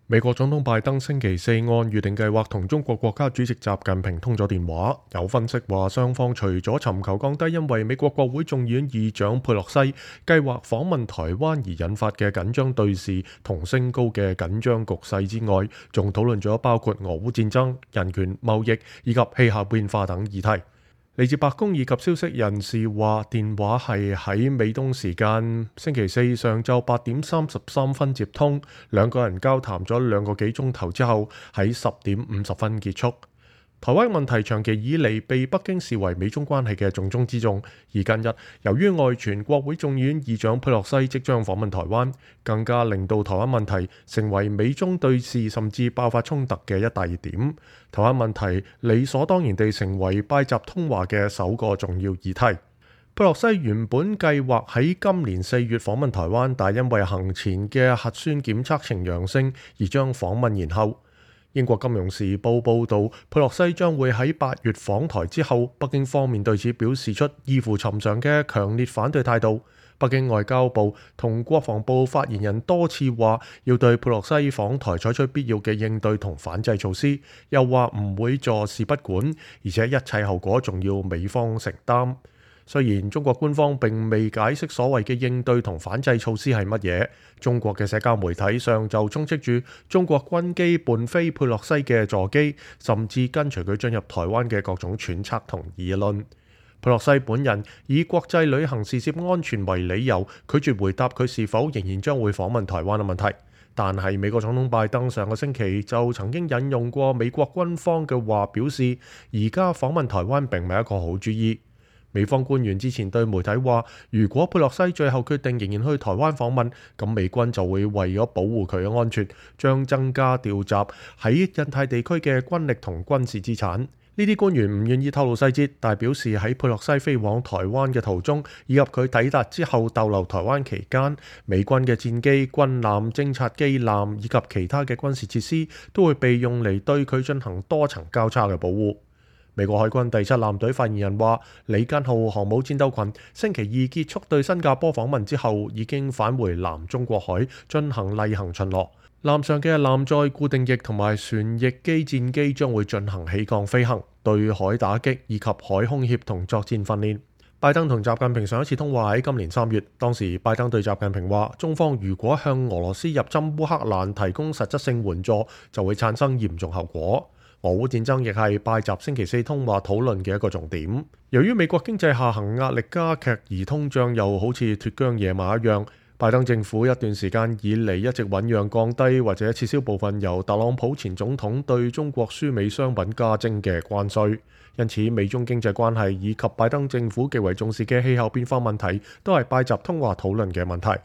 美國總統拜登星期四按預定計劃同中國國家主席習近平通咗電話。有分析話，雙方除咗尋求降低因為美國國會眾議院議長佩洛西計劃訪問台灣而引發嘅緊張對峙同升高嘅緊張局勢之外，仲討論咗包括俄烏戰爭、人權、貿易以及氣候變化等議題。嚟自白宮以及消息人士話，電話係喺美東時間星期四上晝8:33接通，兩個人交談咗2個幾鐘頭之後，喺10:50結束。台灣問題長期以嚟被北京視為美中關係嘅重中之重，而近日由於外傳國會眾議院議長佩洛西即將訪問台灣，更加令到台灣問題成為美中對峙甚至爆發衝突嘅一大熱點。台灣問題理所當然地成為拜習通話嘅首個重要議題。佩洛西原本計劃喺今年4月訪問台灣，但因為行前嘅核酸檢測呈陽性，而將訪問延後。英國金融時報報導，佩洛西將會喺8月訪台之後，北京方面對此表示出異乎尋常嘅強烈反對態度。北京外交部同國防部發言人多次話要對佩洛西訪台採取必要嘅應對同反制措施，又話唔會坐視不管，而且一切後果仲要美方承擔。雖然中國官方並未解釋所謂嘅應對同反制措施係乜嘢，中國嘅社交媒體上就充斥住中國軍機伴飛佩洛西嘅座機，甚至跟隨佢進入台灣嘅各種揣測同議論。佩洛西本人以國際旅行事涉安全為理由，拒絕回答佢是否仍然將會訪問台灣嘅問題。但係美國總統拜登上個星期就曾經引用過美國軍方嘅話，表示而家訪問台灣並唔係一個好主意。美方官員之前對媒體話，如果佩洛西最後決定仍然去台灣訪問，咁美軍就會為咗保護佢嘅安全，將增加調集喺印太地區嘅軍力同軍事資產。呢啲官員唔願意透露細節，但表示喺佩洛西飛往台灣嘅途中，以及佢抵達之後逗留台灣期間，美軍嘅戰機、軍艦、偵察機艦以及其他嘅軍事設施都會被用嚟對佢進行多層交叉嘅保護。美國海軍第7艦隊發言人話，李根號航母戰鬥群星期2結束對新加坡訪問之後，已經返回南中國海進行例行巡邏。艦上嘅艦載固定翼同埋旋翼機戰機將會進行起降飛行、對海打擊以及海空協同作戰訓練。拜登同習近平上一次通話喺今年3月，當時拜登對習近平話，中方如果向俄羅斯入侵烏克蘭提供實質性援助，就會產生嚴重後果。俄烏戰爭亦係拜習星期4通話討論嘅一個重點。由於美國經濟下行壓力加劇，而通脹又好似脫韁野馬一樣，拜登政府一段時間以嚟一直醞釀降低或者撤銷部分由特朗普前總統對中國輸美商品加徵嘅關稅。因此，美中經濟關係以及拜登政府極為重視嘅氣候變化問題，都係拜習通話討論嘅問題。